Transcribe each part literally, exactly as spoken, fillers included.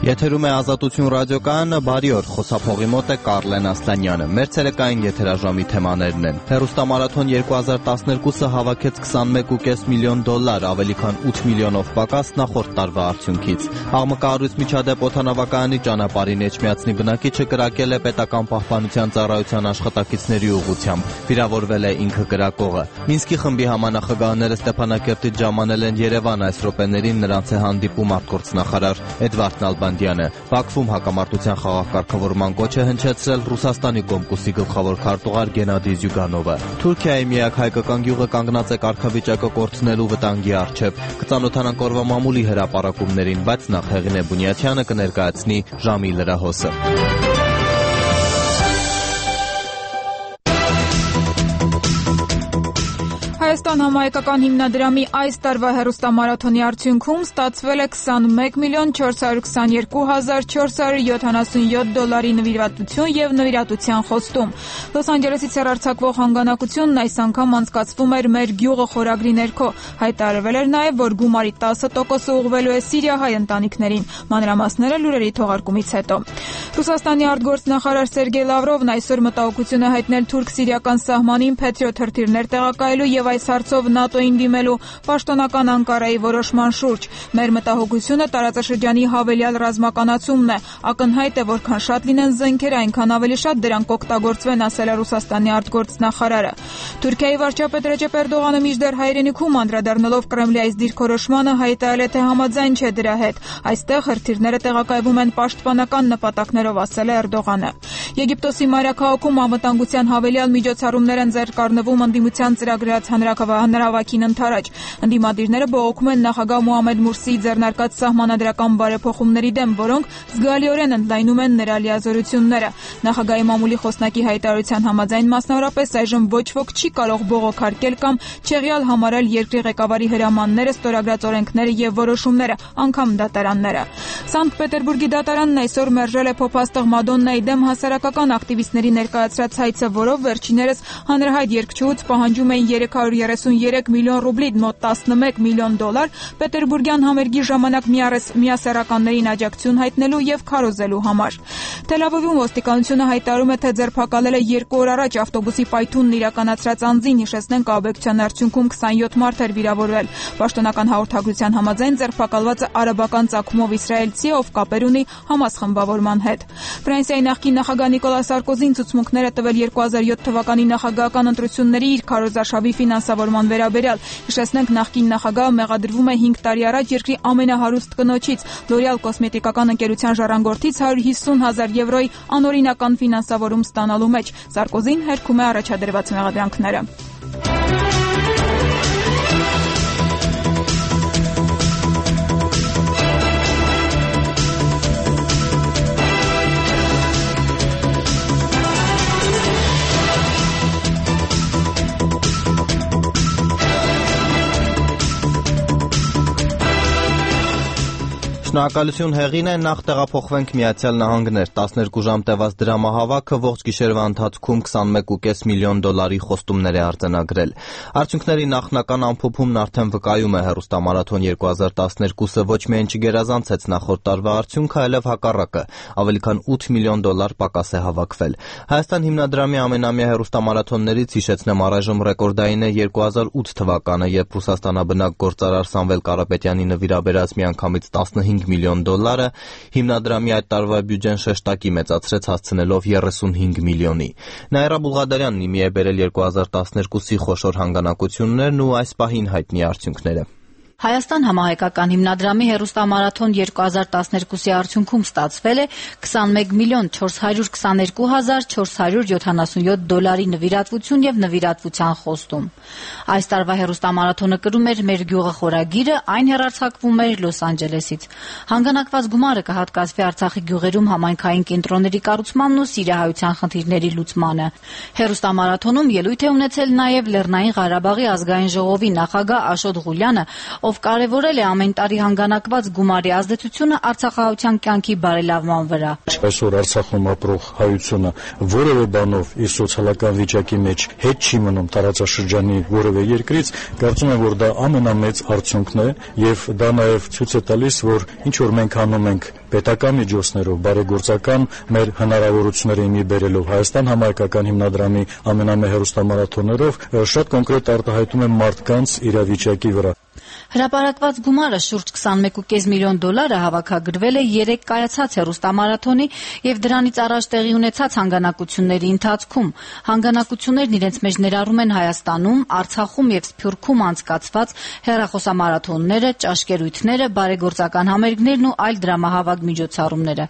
Եթերում է Ազատություն ռադիոկայանը, բարի օր, խոսափողի մոտ է Կարլեն Ասլանյանը։ Մեր ցերեկային եթերաժամի թեմաներն են։ Հեռուստամարաթոն երկու հազար տասներկուսը հավաքեց քսանմեկ կόμμα պենս միլիոն դոլար, ավելի քան ութ միլիոնով պակաս նախորդ տարվա արդյունքից։ Աղմկահարույց միջադեպ օդանավակայանի ճանապարհին Էջմիածնի բնակիչը կրակել է պետական պահպանության ծառայության աշխատակիցների ուղղությամբ։ Վիրավորվել է ինքը կրակողը։ Մինսկի խմբի համանախագահները Ստեփանակերտից ժամանել են Երևան, այս րոպեներին նրանց է հանդիպում արտգործնախարար Էդվարդ Նալբանդյանը։ Բաքվում հակամարտության խաղաղ կարգավորման կոչ է հնչեցրել Ռուսաստանի Կոմկուսի գլխավոր քարտուղար Գենադի Զյուգանովը։ Թուրքիայի միակ հայկական գյուղը կանգնած է կարգավիճակը կորցնելու վտանգի առջև։ Կծանոթանանք օրվա մամուլի հրապարակումներին, բայց նախ Հեղինե Բունյաթյանը կներկայացնի ժամի լրահոսը։ Հայաստան համահայկական հիմնադրամի այս տարվա հեռուստամարաթոնի արդյունքում ստացվել է քսանմեկ միլիոն չորս հարյուր քսաներկու հազար չորս հարյուր յոթանասունյոթ դոլարի նվիրատվություն եւ նվիրատվության խոստում։ Լոս Անջելեսից հեռարձակվող հանգանակությունն այս անգամ անցկացվում էր «Մեր գյուղը» խորագրի ներքո։ Հայտարարվել էր նաեւ, որ գումարի տասը տոկոսը ուղղվելու է սիրիահայ ընտանիքներին։ Մանրամասները լուրերի թողարկումից հետո։ Ռուսաստանի արտգործնախարար Սերգեյ Լավրովն այսօր մտահոգություն է հայտնել թուրք-սիրիական սահմանին Փետրիոթ հրթիռներ տեղակայելու եւ այս հարցով ՆԱՏՕ-ին դիմելու պաշտոնական Անկարայի որոշման շուրջ։ Մեր մտահոգությունը տարածաշրջանի հավելյալ ռազմականացումն է։ Ակնհայտ է, որքան շատ լինեն զենքերը, այնքան ավելի շատ դրանք կօգտագործվեն, ասել է Ռուսաստանի արտգործնախարարը։ Թուրքիայի վարչապետ Ռեջեփ Էրդողանը մինչդեռ հայրենիքում անդրադառնալով Կրեմլի այս դիրքորոշմանը հայտարարել է, թե համաձայն չէ դրա հետ։ Այստեղ հրթիռները տեղակայվում են պաշտպանական նպատակներով, ասել է Էրդողանը։ Եգիպտոսի մայրաքաղաքում անվտանգության հավելյալ միջոցառումներ են ձեռք առնվում ընդդիմության ծրագրած հանրահավաքին ընթരാճ։ Ընդդիմադիրները բողոքում են նախագահ Մոհամեդ Մուրսիի ձեռնարկած սահմանադրական բարեփոխումների դեմ, որոնք զգալիորեն ընդլայնում են նրա լիազորությունները։ Նախագահի մամուլի խոսնակի հայտարարության համաձայն, մասնավորապես այժմ ոչ ոք չի կարող բողոքարկել կամ չեղյալ համարել երկրի ղեկավարի հրամանները, ստորագրած օրենքները եւ որոշումները, անգամ դատարանները։ Սանկտ Պետերբուրգի դատարանն այսօր մերժել է փոփաստղ Մադոննայի դեմ հասարակական ակտիվիստների ներկայացրած հայցը, որով վերջիներս հանրահայտ երգչուհուց պահանջում էին երեք հարյուր երեսունյերեք միլիոն ռուբլի, մոտ տասնմեկ միլիոն դոլար, պետերբուրգյան համերգի ժամանակ միասեռականներին աջակցություն հայտնելու եւ քարոզելու համար։ Թել Ավիվում ոստիկանությունը հայտարարում է, թե ձերբակալել է երկու օր առաջ ավտոբուսի պայթունն իրականացրած անձին, հիշեցնենք աբեկցության արդյունքում քսանյոթ մարդ էր վիրավորվել։ Պաշտոնական հաղորդագրության համաձայն ձերբակալվածը արաբական ծագումով իսրայելցի է, ով կապեր ունի Համաս խմբավորման հետ։ Ֆրանսիայի նախկին նախագահ Նիկոլա Սարկոզին ցուցմունքներ է տվել երկու հազար յոթ թվականի նախագահական ընտրությունների իր քարոզարշավի ֆինանսավորման վերաբերյալ։ Հիշեցնենք, նախկին նախագահը մեղադրվում է հինգ տարի առաջ երկրի ամենահարուստ կնոջից L'Oreal կոսմետիկական ընկերության ժառանգորդից հարյուր հիսուն հազար եվրոյի անօրինական ֆինանսավորում ստանալու մեջ։ Սարկոզին հերքում է առաջադրված մեղադրանքները։ Շնորհակալություն Հեղինե, նախ տեղափոխվենք Միացյալ Նահանգներ։ տասներկու ժամ տևած դրամահավաքը ողջ գիշերվա ընթացքում քսանմեկ կόμμα պենս միլիոն դոլարի խոստումներ է արձանագրել։ Արդյունքների նախնական ամփոփումն արդեն վկայում է հեռուստամարաթոն երկու հազար տասներկուսը ոչ միայն չգերազանցեց նախորդ տարվա արդյունքը, այլև հակառակը, ավելի քան ութ միլիոն դոլար պակաս է հավաքվել։ Հայաստան հիմնադրամի ամենամյա հեռուստամարաթոններից հիշեցնեմ առայժմ ռեկորդային է երկու հազար ութ թվականը, երբ Ռուսաստանաբնակ գործարար Սամվել Կարապետյանի նվիրաբերած միանգամից տասնհինգ միլիոն դոլարը հիմնադրամի այդ տարվա բյուջեն շեշտակի մեծացրեց, հասցնելով երեսունհինգ միլիոնի։ Նաիրա Բուլղադարյանն իմի է բերել երկու հազար տասներկուսի խոշոր հանգանակություններն ու այս պահին հայտնի արդյունքները։ Հայաստան համահայկական հիմնադրամի հեռուստամարաթոն երկու հազար տասներկուսի արդյունքում ստացվել է քսանմեկ միլիոն չորս հարյուր քսաներկու հազար չորս հարյուր յոթանասունյոթ դոլարի նվիրատվություն եւ նվիրատվության խոստում։ Այս տարվա հեռուստամարաթոնը կրում էր «Մեր գյուղը» խորագիրը, այն հեռարձակվում էր Լոս Անջելեսից։ Հանգանակված գումարը կհատկացվի Արցախի գյուղերում համայնքային կենտրոնների կառուցմանն ու սիրիահայության խնդիրների լուծմանը։ Հեռուստամարաթոնում ելույթ է ունեցել նաեւ Լեռնային Ղարաբաղի ազգային ժողովի նախագահ Աշոտ Ղուլյանը, ով կարևորել է ամեն տարի հանգանակված գումարի ազդեցությունը արցախահայության կյանքի բարելավման վրա։ Այսօր Արցախում ապրող հայությունը որևէ բանով իր սոցիալական վիճակի մեջ հետ չի մնում տարածաշրջանի որևէ երկրից, կարծում եմ, որ դա ամենամեծ արդյունքն է եւ դա նաեւ ցույց է տալիս, որ ինչ որ մենք անում ենք պետական միջոցներով, բարեգործական մեր հնարավորությունները իմի բերելով Հայաստան համահայկական հիմնադրամի ամենամեծ հեռուստամարաթոններով շատ կոնկրետ արտահայտում է մարդկանց իրավիճակի վրա։ Հրապարակված գումարը շուրջ քսանմեկ կόμμα պենս միլիոն դոլարը հավաքագրվել է երեք կայացած հեռուստամարաթոնի եւ դրանից առաջ տեղի ունեցած հանգանակությունների ընթացքում։ Հանգանակություններն իրենց մեջ ներառում են Հայաստանում, Արցախում եւ Սփյուռքում անցկացված հեռախոսամարաթոնները, ճաշկերույթները, բարեգործական համերգներն ու այլ դրամահավաք միջոցառումները։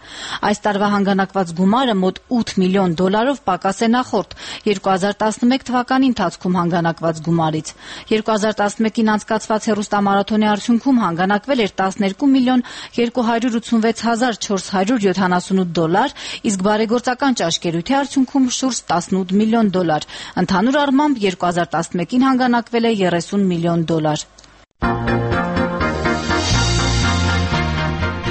Այս տարվա հանգանակված գումարը մոտ ութ միլիոն դոլարով պակաս է նախորդ երկու հազար տասնմեկ թվականի ընթացքում հանգանակված գումարից։ երկու հազար տասնմեկին անցկացված հեռուստամարաթոնի արդյունքում հանգանակվել էր տասներկու միլիոն երկու հարյուր ութսունվեց հազար չորս հարյուր յոթանասունութ դոլար, իսկ բարեգործական ճաշկերույթի արդյունքում շուրջ տասնութ միլիոն դոլար։ Ընդհանուր առմամբ երկու հազար տասնմեկին հանգանակվել է երեսուն միլիոն դոլար։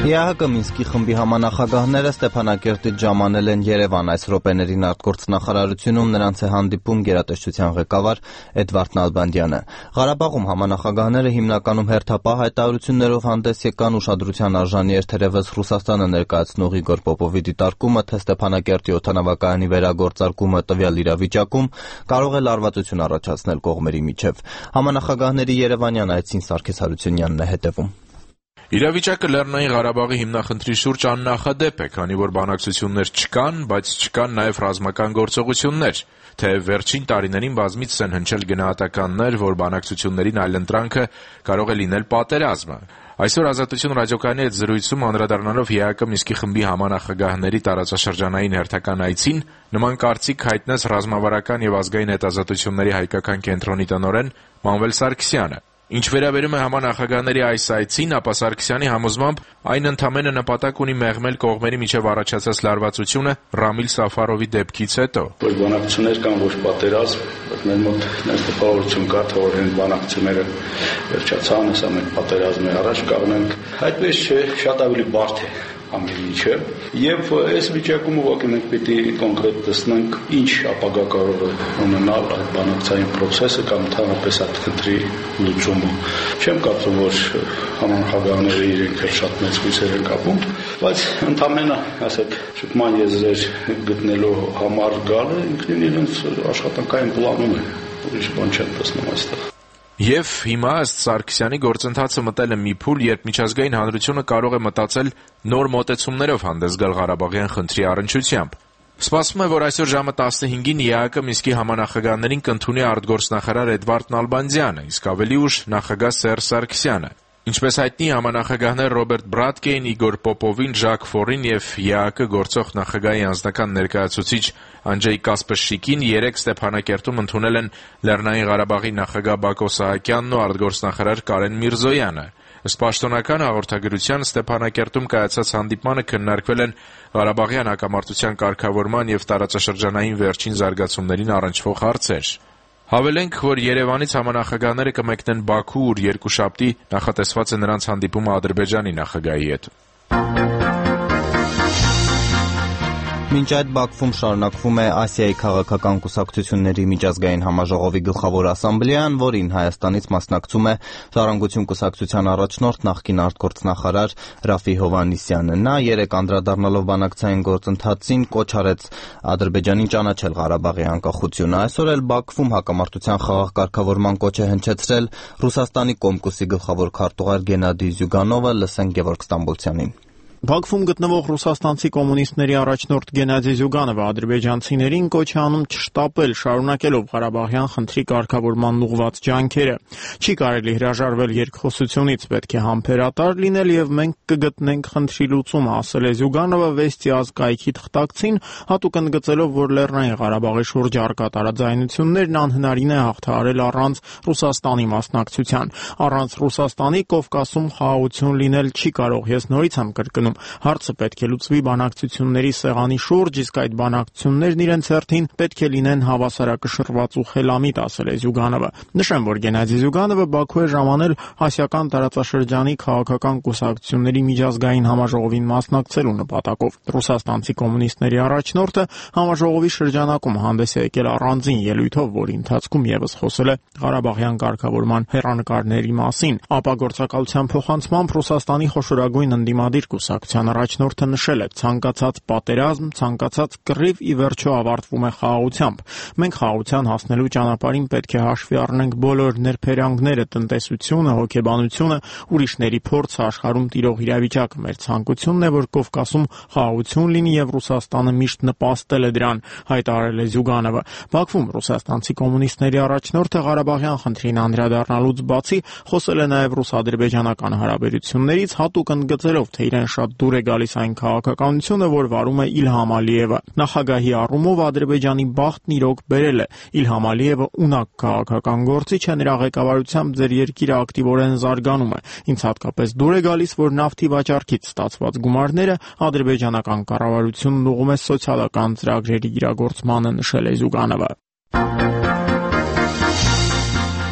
ԵԱՀԿ Մինսկի խմբի համանախագահները Ստեփանակերտից ժամանել են Երևան։ Այս րոպեներին արտգործնախարարությունում նրանց է հանդիպում գերատեսչության ղեկավար Էդվարդ Նալբանդյանը։ Ղարաբաղում համանախագահները հիմնականում հերթապահ հայտարարություններով հանդես եկան, ուշադրության արժանի էր թերևս Ռուսաստանը ներկայացնող Իգոր Պոպովի դիտարկումը, թե Ստեփանակերտի օդանավակայանի վերագործարկումը տվյալ իրավիճակում կարող է լարվածություն առաջացնել կողմերի միջև։ Համանախագահների Երևանյան այցին Սարգիս Հարությունյանն է հետևում։ Իրավիճակը Լեռնային Ղարաբաղի հիմնախնդրի շուրջ աննախադեպ է, քանի որ բանակցություններ չկան, բայց չկան նաև ռազմական գործողություններ, թեև վերջին տարիներին բազմիցս են հնչել գնահատականներ, որ բանակցություններին այլընտրանքը կարող է լինել պատերազմը։ Այսօր Ազատություն ռադիոկայանի հետ զրույցում անդրադառնալով ԵԱՀԿ Մինսկի խմբի համանախագահների տարածաշրջանային հերթական այցին, նման կարծիք հայտնեց ռազմավարական եւ ազգային հետազոտությունների հայկական կենտրոնի տնօրեն Մանվել Սարգսյանը։ Ինչ վերաբերում է համանախագահների այս այցին, ապա Սարգսյանի համոզմամբ այն ընդամենը նպատակ ունի մեղմել կողմերի միջև առաջացած լարվածությունը Ռամիլ Սաֆարովի դեպքից հետո։ Որ բանակցություններ կան, ոչ պատերազմ, մեր մոտ ներս տպավորություն կա, թե որ այն բանակցությունները վերջացան, հեսա մենք պատերազմի առաջ կանգնենք։ Այդպես չէ, շատ ավելի բարդ է ամեն ինչը, եւ այս վիճակում ուղղակի մենք պետք է կոնկրետ տեսնենք ինչ ապագա կարող է ունենալ այդ բանակցային process-ը կամ ընդհանրապես այդ քննի լուծումը։ Չեմ կարծում, որ համանախագահները իրենք շատ մեծ հույսեր են կապում, բայց ընդամենը, ասեք, շփման եզրեր գտնելու համար գալը ինքնին իրենց աշխատանքային պլանում է, ուրիշ բան չեմ տեսնում այստեղ։ Եվ հիմա ըստ Սարգսյանի գործընթացը մտել է մի փուլ, երբ միջազգային հանրությունը կարող է մտածել նոր մոտեցումներով հանդես գալ Ղարաբաղյան խնդրի առնչությամբ։ Սպասվում է, որ այսօր ժամը տասնհինգին ԵԱՀԿ Մինսկի համանախագահներին կընդունի արտգործնախարար Էդվարդ Նալբանդյանը, իսկ ավելի ուշ նախագահ Սերժ Սարգսյանը։ Ինչպես հայտնի, համանախագահներ Ռոբերտ Բրատկեին, Իգոր Պոպովին, Ժակ Ֆորին եւ ԵԱՀԿ գործող նախագահի անձնական ներկայացուցիչ Անջեյ Կասպերշիկին երեք Ստեփանակերտում ընդունել են Լեռնային Ղարաբաղի նախագահ Բակո Սահակյանն ու արտգործնախարար Կարեն Միրզոյանը։ Ըստ պաշտոնական հաղորդագրության Ստեփանակերտում կայացած հանդիպմանը քննարկվել են Ղարաբաղյան հակամարտության կարգավորման եւ տարածաշրջանային վերջին զարգացումներին առնչվող հարցեր։ Հավելենք, որ Երևանից համանախագահները կմեկնեն Բաքու, ուր երկուշաբթի նախատեսված է նրանց հանդիպումը Ադրբեջանի նախագահի հետ։ Մինչ այդ Բաքվում շարունակվում է Ասիայի քաղաքական կուսակցությունների միջազգային համաժողովի գլխավոր ասամբլեան, որին Հայաստանից մասնակցում է Ժառանգություն կուսակցության առաջնորդ նախկին արտգործնախարար Ռաֆի Հովհաննիսյանը։ Նա երեք անդրադառնալով բանակցային գործընթացին կոչ արեց Ադրբեջանին ճանաչել Ղարաբաղի անկախությունը։ Այսօր էլ Բաքվում հակամարտության խաղաղ կարգավորման կոչ է հնչեցրել Ռուսաստանի Կոմկուսի գլխավոր քարտուղար Գենադի Զյուգանովը, լսենք Գևորգ Ստամբոլցյանին։ Բաքվում գտնվող ռուսաստանցի կոմունիստների առաջնորդ Գենադի Զյուգանովը ադրբեջանցիներին կոչ է անում չշտապել, շարունակելով Ղարաբաղյան խնդրի կարգավորման ուղղված ջանքերը։ Չի կարելի հրաժարվել երկխոսությունից, պետք է համբերատար լինել եւ մենք կգտնենք խնդրի լուծումը, ասել է Զյուգանովը Վեստի ազգայքի թղթակցին, հատուկ ընդգծելով, որ Լեռնային Ղարաբաղի շուրջ առկա տարաձայնություններն անհնարին է հաղթահարել առանց Ռուսաստանի մասնակցության։ Առանց Ռուսաստանի Կովկասում խաղաղություն լինել չի կարող, ես նորից եմ կրկնում։ Հարցը պետք է լուծվի բանակցությունների սեղանի շուրջ, իսկ այդ բանակցություններն իրենց հերթին պետք է լինեն հավասարակշռված ու խելամիտ, ասել է Զյուգանովը։ Նշեմ, որ Գենադի Զյուգանովը Բաքու է ժամանել Ասիական տարածաշրջանի քաղաքական կուսակցությունների միջազգային համաժողովին մասնակցելու նպատակով։ Ռուսաստանցի կոմունիստների առաջնորդը համաժողովի շրջանակում հանդես է եկել առանձին ելույթով, որի ընթացքում եւս խոսել է Ղարաբաղյան կարգավորման հեռանկարների մասին։ Ապա գործակալության փոխանցմամբ Ռուսաստանի խոշորագույն ընդդիմադիր կուսակցության առաջնորդը նշել է. ցանկացած պատերազմ, ցանկացած կռիվ ի վերջո ավարտվում է խաղաղությամբ։ Մենք խաղաղության հասնելու ճանապարհին պետք է հաշվի առնենք բոլոր ներբերյալները, տնտեսությունը, հոգեբանությունը, ուրիշների փորձը, աշխարհում տիրող իրավիճակը։ Մեր ցանկությունն է, որ Կովկասում խաղաղություն լինի եւ Ռուսաստանը միշտ նպաստել է դրան, հայտարարել է Զյուգանովը։ Բաքվում ռուսաստանցի կոմունիստների առաջնորդը Ղարաբաղյան խնդրին անդրադառնալուց բացի խոսել է նաեւ ռուս-ադրբեջանական հարաբերություններից, հատուկ ընդգծելով, թե իրեն շատ դուր է գալիս այն քաղաքականությունը, որ վարում է Իլհամ Ալիևը։ Նախագահի առումով Ադրբեջանի բախտն իրոք բերել է։ Իլհամ Ալիևը ունակ քաղաքական գործիչ է, նրա ղեկավարությամբ ձեր երկիրը ակտիվորեն զարգանում է։ Ինձ հատկապես դուր է գալիս, որ նավթի վաճառքից ստացված գումարները ադրբեջանական կառավարությունն ուղղում է սոցիալական ծրագրերի իրագործմանը, նշել է Զյուգանովը։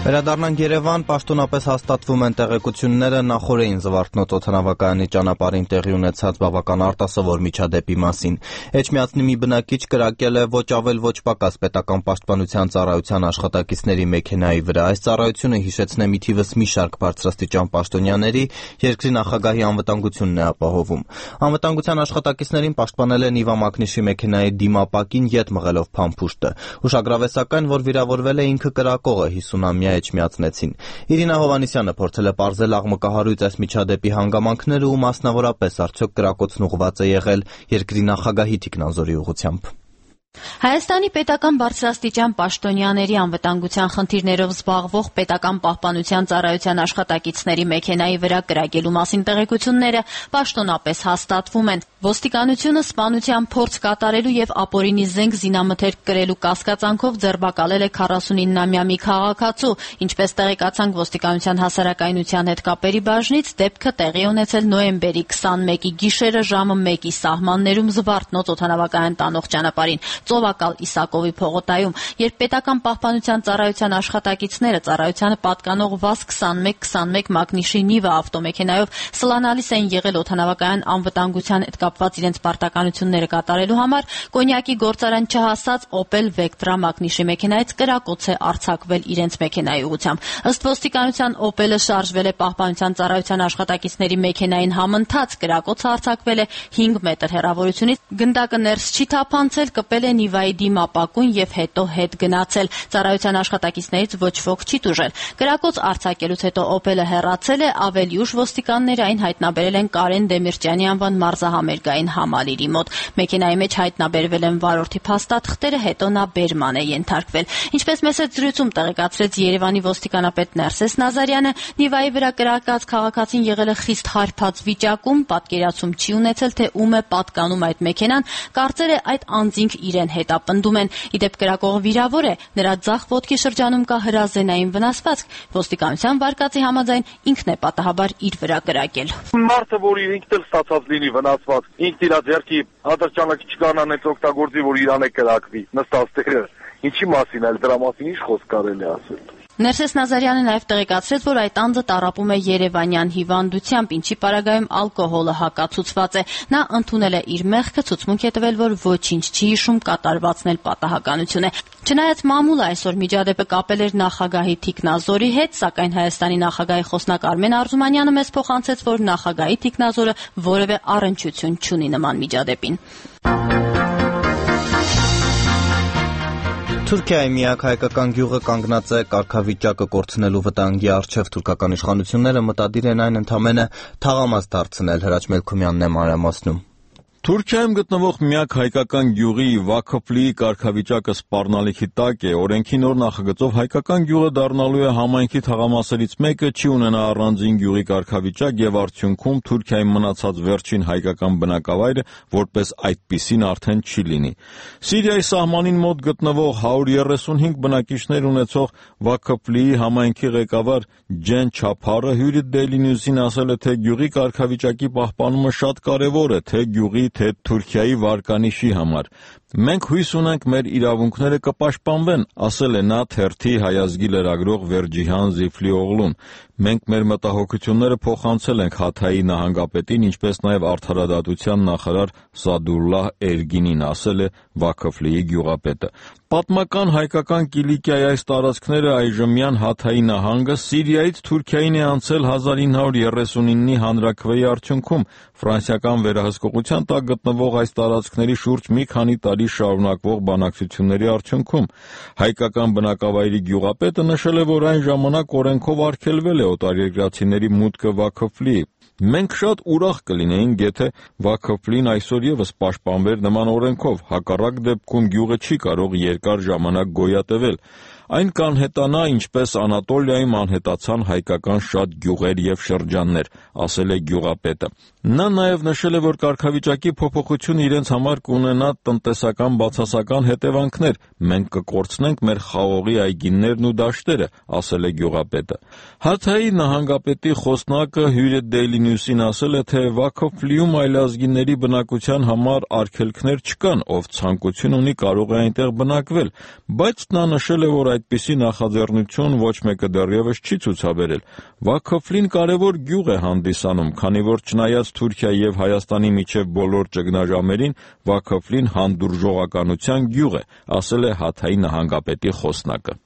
Վերադառնանք Երևան, պաշտոնապես հաստատվում են տեղեկությունները նախօրեին Զվարթնոց օդանավակայանի ճանապարհին տեղի ունեցած բավական արտասովոր միջադեպի մասին։ Էջմիածնի մի բնակիչ կրակել է ոչ ավել ոչ պակաս պետական պաշտպանության ծառայության աշխատակիցների մեքենայի վրա։ Այս ծառայությունը հիշեցնե մի թիվս մի շարք բարձրաստիճան պաշտոնյաների, երկրի նախագահի անվտանգությունն է ապահովում։ Անվտանգության աշխատակիցներին պաշտպանել են Իվա Մակնիշի մեքենայի դիմապակին ետ մղելով փամփուշտը։ Ուշագրավ է սակայն, որ վիրավորվել է ինքը կրակողը հիսունամյա Էջմիածնեցին։ Իրինա Հովանիսյանը փորձել է պարզել աղմկահարույց այս միջադեպի հանգամանքները ու մասնավորապես արդյոք կրակոցն ուղղված է եղել երկրի նախագահի թիկնազորի ուղղությամբ։ Հայաստանի պետական բարձրաստիճան պաշտոնյաների անվտանգության խնդիրներով զբաղվող պետական պահպանության ծառայության աշխատակիցների մեքենայի վրա կրակելու մասին տեղեկությունները պաշտոնապես հաստատվում են։ Ոստիկանությունը սպանության փորձ կատարելու եւ ապօրինի զենք զինամթերք կրելու կասկածանքով ձերբակալել է քառասունինամյա մի քաղաքացու, ինչպես տեղեկացանք ոստիկանության հասարակայնության հետ կապերի բաժնից, դեպքը տեղի ունեցել նոյեմբերի քսանմեկի գիշերը ժամը մեկի սահմաններում Զվարթնոց օդանավակայան տանող ճանապարհին Ծովակալ Իսակովի փողոտայում, երբ պետական պահպանության ծառայության աշխատակիցները ծառայությանը պատկանող վազ քսանմեկ քսանմեկ Մակնիշի Նիվա ավտոմեքենայով սլանալիս էին եղել օդանավակայան անվտանգության հետ կապված իրենց պարտականությունները կատարելու համար, կոնյակի գործարան չհասած Opel Vectra Մակնիշի մեքենայից կրակոց է արձակվել իրենց մեքենայի ուղղությամբ։ Ըստ ոստիկանության Opel-ը շարժվել է պահպանության ծառայության աշխատակիցների մեքենային համընթաց, կրակոցը արձակվել է հինգ մետր հեռավորությունից, գնդակը ներս չի թափանցել, կպել է Նիվայի դիմապակուն եւ հետո հետ գնացել։ Ծառայության աշխատակիցներից ոչ ոք չի տուժել։ Կրակոց արձակելուց հետո Opel-ը հեռացել է, ավելի ուշ ոստիկանները այն հայտնաբերել են Կարեն Դեմիրճյանի անվան մարզահամերգային համալիրի մոտ։ Մեքենայի մեջ հայտնաբերվել են վարորդի փաստաթղթերը, հետո նա բերման է ենթարկվել։ Ինչպես մեծ զրույցում տեղեկացրեց Երևանի ոստիկանապետ Ներսես Նազարյանը, Նիվայի վրա կրակած քաղաքացին եղել է խիստ հարբած վիճակում, պատկերացում չի ունեցել, թե ում է պատկանում այդ մեքենան, կարծել է այդ անձինք իրեն հետապնդում են։ Իդեպ կրակողը վիրավոր է, նրա ձախ ոտքի շրջանում կա հրազենային վնասվածք։ Ոստիկանության վարկածի համաձայն ինքն է պատահաբար իր վրա կրակել։ Մարդը, որ ինքն էլ ստացած լինի վնասված, ինքն իր ձեռքի հադրճանակ չկանան այդ օգտագործի, որ իրան է կրակվի, նստած տեղը։ Ինչի մասին էլ դրա մասին ինչ խոսք կարելի ասել։ Ներսես Նազարյանը նաև տեղեկացրեց, որ այդ անձը տառապում է երևանյան հիվանդությամբ, ինչի պարագայում ալկոհոլը հակացուցված է։ Նա ընդունել է իր մեղքը, ցուցմունք է տվել, որ ոչինչ չի հիշում, կատարվածն էլ պատահականություն է։ Չնայած մամուլը այսօր միջադեպը կապել էր նախագահի թիկնազորի հետ, սակայն Հայաստանի նախագահի խոսնակ Արմեն Արզումանյանը մեզ փոխանցեց, որ նախագահի թիկնազորը որևէ առնչություն չունի նման միջադեպին։ Թուրքիայի միակ հայկական գյուղը կանգնած է կարգավիճակը կորցնելու վտանգի առջև։ Թուրքական իշխանությունները մտադիր են այն ընդամենը թաղամաս դարձնել։ Հրաչ Մելքումյանն է մանրամասնում։ Թուրքիայում գտնվող միակ հայկական գյուղի Վաքոփլիի կարգավիճակը սպառնալիքի տակ է։ Օրենքի նոր նախագծով հայկական գյուղը դառնալու է համայնքի թաղամասերից մեկը, չի ունենա առանձին գյուղի կարգավիճակ եւ արդյունքում Թուրքիայի մնացած վերջին հայկական բնակավայրը որպես այդպիսին արդեն չի լինի։ Սիրիայի սահմանին մոտ գտնվող հարյուր երեսունհինգ բնակիչներ ունեցող Վաքոփլիի համայնքի ղեկավար Ջեն Չափարը հյուրի Daily News-ին ասել է, թե գյուղի կարգավիճակի պահպանումը շատ կարևոր է, թե գյուղի թե Թուրքիայի վարկանիշի համար։ Մենք հույս ունենք մեր իրավունքները կպաշտպանվեն, ասել է նա թերթի հայազգի լրագրող Վերջիհան Զիֆլիօղլուն։ Մենք մեր մտահոգությունները փոխանցել ենք Հաթայի նահանգապետին, ինչպես նաև արդարադատության նախարար Սադուլլահ Էրգինին, ասել է Վաքոփլիի գյուղապետը։ Պատմական հայկական Կիլիկիայի այս տարածքները այժմյան Հաթայի նահանգը Սիրիայից Թուրքիային է անցել հազար ինը հարյուր երեսունինի հանրաքվեի արդյունքում։ Ֆրանսիական վերահսկողության տակ գտնվող այս տարածքների շուրջ մի քանի տարի շարունակվող բանակցությունների արդյունքում հայկական բնակավայրի գյուղապետը նշել է, որ այն ժամանակ օրենքով արգելվել է օտարերկրացիների մուտքը Վաքոփլիի։ Մենք շատ ուրախ կլինեինք, եթե Վաքոփլին այսօր ևս պաշտպանվեր նման օրենքով, հակառակ դեպքում գյուղը չի կարող երկար ժամանակ գոյատևել։ Այն կանհետանա, ինչպես Անատոլիայում անհետացան հայկական շատ գյուղեր եւ շրջաններ, ասել է գյուղապետը։ Նա նաև նշել է, որ կարգավիճակի փոփոխությունը իրենց համար կունենա տնտեսական բացասական հետևանքներ։ Մենք կկորցնենք մեր խաղողի այգիներն ու դաշտերը, ասել է գյուղապետը։ Հաթայի նահանգապետի խոսնակը հյուրը Daily News-ին ասել է, թե Վաքոփլիում այլազգիների բնակության համար արգելքներ չկան, ով ցանկություն ունի կարող է այնտեղ բնակվել, բայց նա նշել է, որ այդպիսի նախաձեռնություն ոչ մեկը դեռևս չի ցուցաբերել։ Վաքոփլին կարևոր գյուղ է հանդիսանում, քանի որ չնայած Թուրքիայի եւ Հայաստանի միջև բոլոր ճգնաժամերին, Վաքոփլին հանդուրժողականության գյուղ է, ասել է Հաթայի նահանգապետի խոսնակը։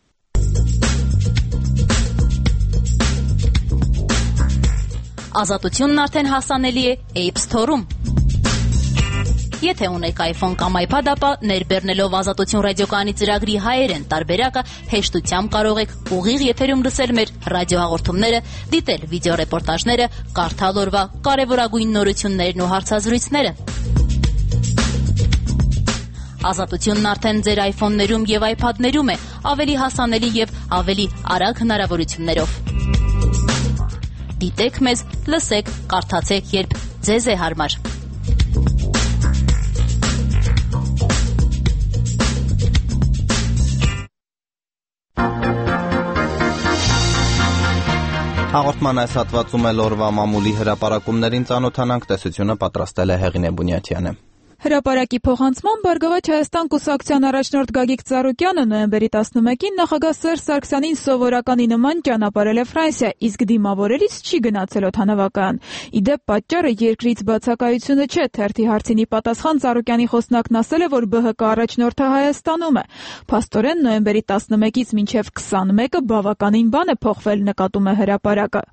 Ազատությունն արդեն հասանելի է App Store-ում։ Եթե ունեք iPhone կամ iPad, ապա ներբեռնելով Ազատություն ռադիոկայանի ծրագրի հայերեն տարբերակը հեշտությամբ կարող եք ուղիղ եթերում լսել մեր ռադիոհաղորդումները, դիտել վիդեոռեպորտաժները, կարդալ օրվա կարևորագույն նորություններն ու հարցազրույցները։ Ազատությունն արդեն ձեր iPhone-ներում եւ iPad-ներում է, ավելի հասանելի եւ ավելի արագ հնարավորություններով։ Դիտեք մեզ, լսեք, կարդացեք, երբ ձեզ է հարմար։ Հաղորդման այս հատվածում էլ օրվա մամուլի հրապարակումներին ծանոթանանք, տեսությունը պատրաստել է Հեղինե Բունյաթյանը։ Հրապարակի փոխանցման Բարգավաճ Հայաստան կուսակցության առաջնորդ Գագիկ Ծառուկյանը նոյեմբերի տասնմեկին նախագահ Սերժ Սարգսյանին սովորականի նման ճանապարհել է Ֆրանսիա, իսկ դիմավորելիս չի գնացել օդանավակայան։ Ի դեպ, պատճառը երկրից բացակայությունը չէ, թերթի հարցինի պատասխան Ծառուկյանի խոսնակն ասել է, որ B H K առաջնորդը Հայաստանում է։ Փաստորեն նոյեմբերի տասնմեկից մինչև քսանմեկը բավականին բան է փոխվել, նկատում է հրապարակը։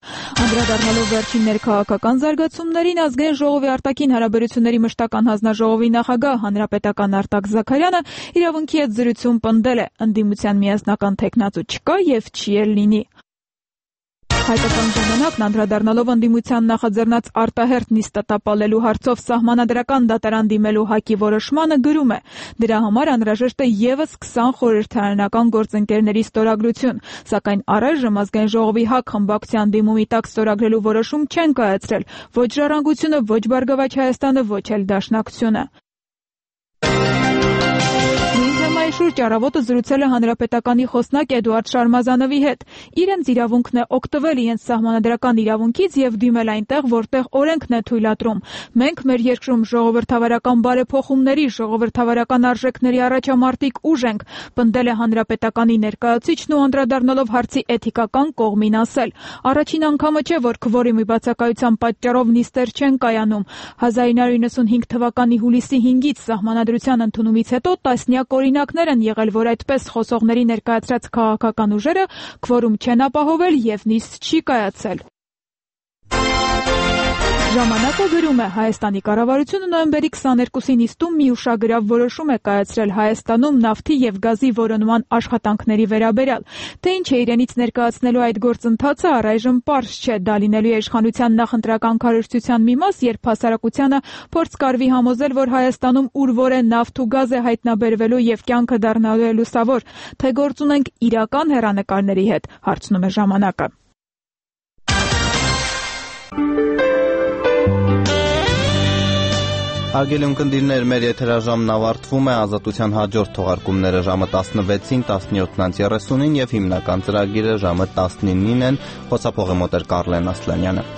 Անդրադառնալով վերջին ներքաղաքական զարգացումներին, Ազգային ժողովի արտաքին հարաբերությունների մշտական հանձնաժողովի նախագահ հանրապետական Արտակ Զաքարյանը իրավունքի հետ զրույցում պնդել է, ընդդիմության միասնական թեկնածու չկա եւ չի էլ լինի։ Հայկական ժամանակն անդրադառնալով ընդդիմության նախաձեռնած արտահերթ նիստը տապալելու հարցով սահմանադրական դատարան դիմելու ՀԱԿ-ի որոշմանը գրում է. դրա համար անհրաժեշտ է ևս քսան խորհրդարանական գործընկերների ստորագրություն, սակայն առայժմ Ազգային ժողովի ՀԱԿ խմբակցության դիմումի տակ ստորագրելու որոշում չեն կայացրել ոչ Ժառանգությունը, ոչ Բարգավաճ Հայաստանը, ոչ էլ Դաշնակցությունը։ Շուրջ առավոտը զրուցել է հանրապետականի խոսնակ Էդուարդ Շարմազանովի հետ։ Իրենց իրավունքն է օգտվել իրենց սահմանադրական իրավունքից եւ դիմել այնտեղ, որտեղ օրենքն է թույլատրում։ Մենք մեր երկրում ժողովրդավարական բարեփոխումների, ժողովրդավարական արժեքների առաջամարտիկ ուժ ենք, պնդել է հանրապետականի ներկայացուցիչն ու անդրադառնալով հարցի էթիկական կողմին ասել. առաջին անգամը չէ, որ քվորումի բացակայության պատճառով նիստեր չեն կայանում։ հազար ինը հարյուր իննսունհինգ թվականի հուլիսի հինգից սահմանադրության ընդունումից հետո տասնյակ օրինակներ են եղել, որ այդպես խոսողների ներկայացրած քաղաքական ուժերը քվորում չեն ապահովել եւ նիստ չի կայացել։ Ժամանակը գրում է Հայաստանի կառավարությունը նոյեմբերի քսաներկուսին նիստում մի ուշագրավ որոշում է կայացրել Հայաստանում նավթի եւ գազի որոնման աշխատանքների վերաբերյալ։ Թե ինչ է իրենից ներկայացնելու այդ գործընթացը առայժմ պարզ չէ, դա լինելու է իշխանության նախընտրական քարոզչության մի մաս, երբ հասարակությանը փորձ կարվի համոզել, որ Հայաստանում ուր որ է նավթ ու գազ է հայտնաբերվելու եւ կյանքը դառնալու է լուսավոր, թե գործ ունենք իրական հեռանկարների հետ, հարցնում է ժամանակը։ Հարգելի ունկնդիրներ, մեր եթերաժամն ավարտվում է, Ազատության հաջորդ թողարկումները ժամը տասնվեցին, տասնյոթ երեսունին եւ հիմնական ծրագիրը ժամը տասնինին են, խոսափողի մոտ էր Կարլեն Ասլանյանը։